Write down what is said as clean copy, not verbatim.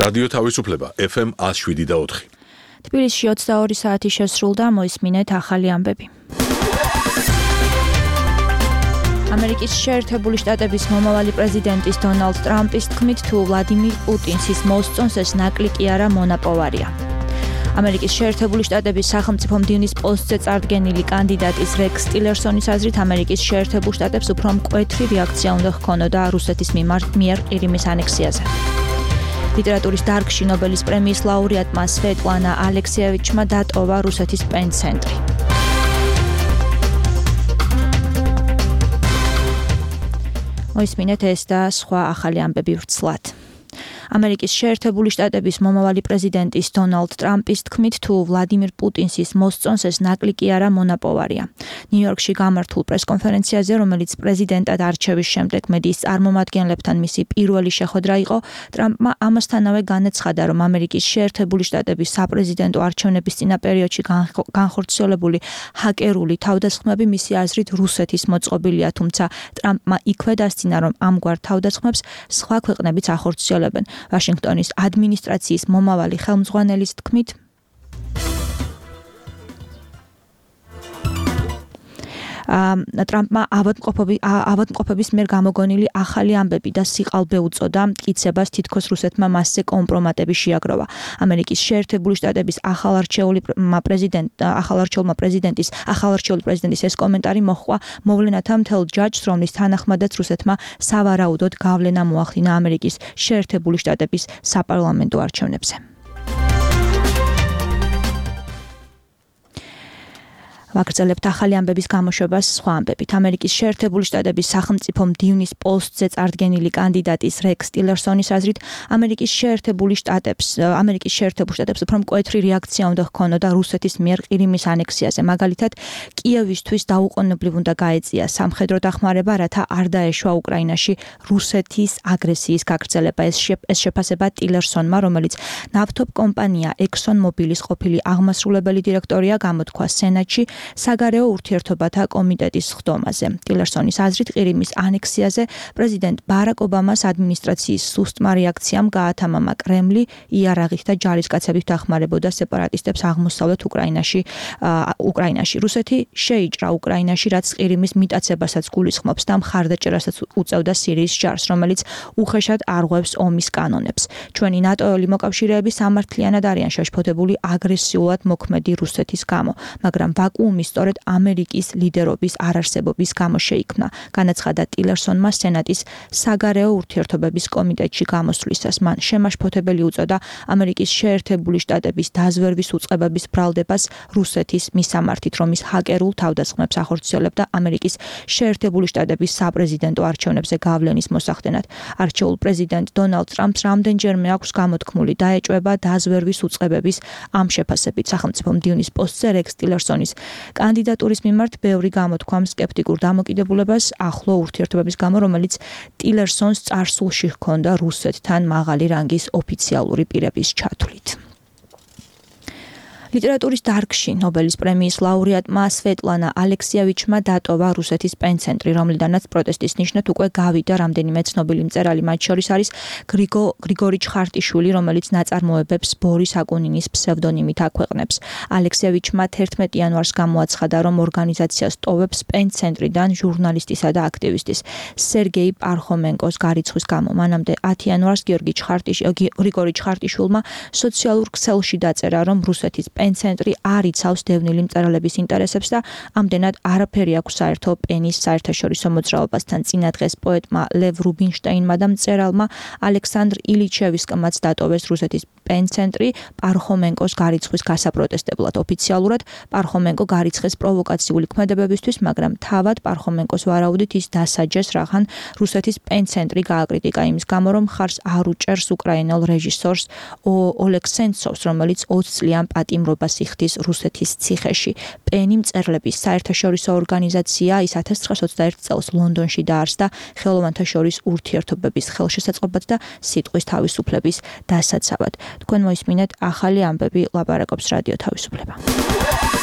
რადიო თავისუფლება FM 107.4. თბილისში 22 საათი შესრულდა, მოისმინეთ ახალი ამბები. ამერიკის შეერთებული შტატების მომავალი პრეზიდენტის დონალდ ტრამპის თქმით, თუ ვლადიმირ პუტინს ის მოსწონს, ეს ნაკლი კი არა მონაპოვარია. ამერიკის შეერთებული შტატების სახელმწიფო მდივნის პოსტზე წარდგენილი კანდიდატის რექს ტილერსონის აზრით, ამერიკის შეერთებულ შტატებს უფრო მკვეთრი რეაქცია უნდა ჰქონოდა რუსეთის მიერ ყირიმის ანექსიაზე. ლიტერატურის დარგში ნობელის პრემიის ლაურეატმა სვეტლანა ალექსიევიჩმა დატოვა რუსეთის პენ-ცენტრი. მოისმინეთ ეს და სხვა ახალი ამბები ვრცლად. ამერიკის შეერთებული შტატების მომავალი პრეზიდენტის დონალდ ტრამპის თქმით, თუ ვლადიმირ პუტინს ის მოსწონს, ეს ნაკლი კი არა მონაპოვარია. ნიუ-იორკში გამართულ პრესკონფერენციაზე, რომელიც პრეზიდენტად არჩევის შემდეგ მედიის წარმომადგენლებთან მისი პირველი შეხვედრა იყო, ტრამპმა ამასთანავე განაცხადა, რომ ამერიკის შეერთებული შტატების საპრეზიდენტო არჩევნების წინა პერიოდში განხორციელებული ჰაკერული თავდასხმები მისი აზრით რუსეთის მოწყობილია, თუმცა ტრამპმა იქვე დასცინა, რომ ამგვარ თავდასხმებს სხვა ქვეყნებიც ახორციელებენ. ვაშინგტონის ადმინისტრაციის მომავალი ხელმძღვანელის თქმით, ტრამპმა ავადმყოფების მიერ გამოგონილი ახალი ამბები და სიყალბე უწოდა მტკიცებას, თითქოს რუსეთმა მასზე კომპრომატები შეაგროვა. ამერიკის შეერთებული შტატების ახალარჩეული პრეზიდენტის ეს კომენტარი მოჰყვა მოვლენათა მთელ ჯაჭვს, რომლის თანახმადაც რუსეთმა სავარაუდოდ გავლენა მოახდინა ამერიკის შეერთებული შტატების საპარლამენტო არჩევნებზე. ვაგრძელებთ ახალი ამბების გამოშვებას სხვა ამბებით. ამერიკის შეერთებული შტატების სახელმწიფო მდივნის პოსტზე წარდგენილი კანდიდატის რექს ტილერსონის აზრით, ამერიკის შეერთებულ შტატებს უფრო მკვეთრი რეაქცია უნდა ჰქონოდა რუსეთის მიერ ყირიმის ანექსიაზე. მაგალითად, კიევისთვის დაუყოვნებლივ უნდა გაეწია სამხედრო დახმარება, რათა არ დაეშვა უკრაინაში რუსეთის აგრესიის გაგრძელება. ეს შეფასება ტილერსონმა, რომელიც ნავთობ კომპანია ExxonMobilis ყოფილი აღმასრულებელი დირექტორია, გამოთქვა სენატში საგარეო ურთიერთობათა კომიტეტის ხდომაზე. ტილერსონის აზრით, ყირიმის ანექსიაზე პრეზიდენტ ბარაკ ობამას ადმინისტრაციის სუსტმა რეაქციამ გაათამამა კრემლი იარაღით და ჯარისკაცებით დახმარებოდა სეპარატისტებს აღმოსავლეთ უკრაინაში. რუსეთი შეიჭრა უკრაინაში, რაც ყირიმის მიტაცებასაც გულისხმობს და მხარდაჭერასაც უწევდა სირიის ჯარს, რომელიც უხეშად არღვევს ომის კანონებს. ჩვენი ნატოელი მოკავშირეები სამართლიანად არიან შეშფოთებული აგრესიულად მოქმედი რუსეთის გამო, მაგრამ ვაკუუმი სწორედ ამერიკის ლიდერობის არარსებობის გამო შეიქმნა. განაცხადა ტილერსონმა სენატის საგარეო ურთიერთობების კომიტეტში გამოსვლისას. მან შემაშფოთებელი უწოდა ამერიკის შეერთებული შტატების დაზვერვის უწყებების ბრალდებას რუსეთის მისამართით, რომ ის ჰაკერულ თავდასხმებს ახორციელებდა ამერიკის შეერთებული შტატების საპრეზიდენტო არჩევნებზე გავლენის მოსახდენად. არჩეულ პრეზიდენტ დონალდ ტრამპს რამდენჯერმე აქვს გამოთქმული დაეჭვება დაზვერვის უწყებების ამ შეფასებით. სახელმწიფო მდივნის პოსტზე რექს ტილერსონის კანდიდატურის მიმართ ბევრი გამოთქვამ სკეპტიკურ დამოკიდებულებას ახლო ურთიერთობების გამო, რომელიც ტილერსონს წარსულში ჰქონდა რუსეთთან მაღალი რანგის ოფიციალური პირების ჩათვლით. ლიტერატურის დარგში ნობელის პრემიის ლაურეატმა სვეტლანა ალექსიევიჩმა დატოვა რუსეთის პენ-ცენტრი, რომლიდანაც პროტესტის ნიშნად უკვე გავიდა რამდენიმე ცნობილი მწერალი, მათ შორის არის გრიგორი ჩხარტიშვილი, რომელიც ნაწარმოებებს ბორის აკუნინის ფსევდონიმით აქვეყნებს. ალექსიევიჩმა 11 იანვარს გამოაცხადა, რომ ორგანიზაციას ტოვებს პენ-ცენტრიდან ჟურნალისტისა და აქტივისტის სერგეი პარხომენკოს გარიცხვის გამო. მანამდე 10 იანვარს გრიგორი ჩხარტიშვილმა სოციალურ ქსელში დაწერა, რომ რუსეთის პენ-ცენტრი არ იცავს დევნილი მწერალების ინტერესებს და ამდენად არაფერი აქვს საერთო პენის საერთაშორისო მოძრაობასთან. წინა დღეს პოეტმა ლევ რუბინშტეინმა და მწერალმა ალექსანდრ ილიჩევსკმაც დატოვეს რუსეთის პენ-ცენტრი პარხომენკოს გარიცხვის გასაპროტესტებლად. ოფიციალურად პარხომენკო გარიცხეს პროვოკაციული ქმედებებისთვის, მაგრამ თავად პარხომენკოს ვარაუდით ის დასაჯეს, რახან რუსეთის პენ-ცენტრი გააკრიტიკა იმის გამო, რომ მხარს არ უჭერს უკრაინელ რეჟისორს ოლეგ სენცოვს, რომელიც 20 წლიან პატიმრობას იხდის რუსეთის ციხეში. პენი მწერლების საერთაშორისო ორგანიზაცია, ის 1921 წელს ლონდონში დაარსდა ხელოვანთა შორის ურთიერთობების ხელშესაწყობად და სიტყვის თავისუფლების დასაცავად. თქვენ მოისმინეთ ახალი ამბები, ლაპარაკობს რადიო თავისუფლება.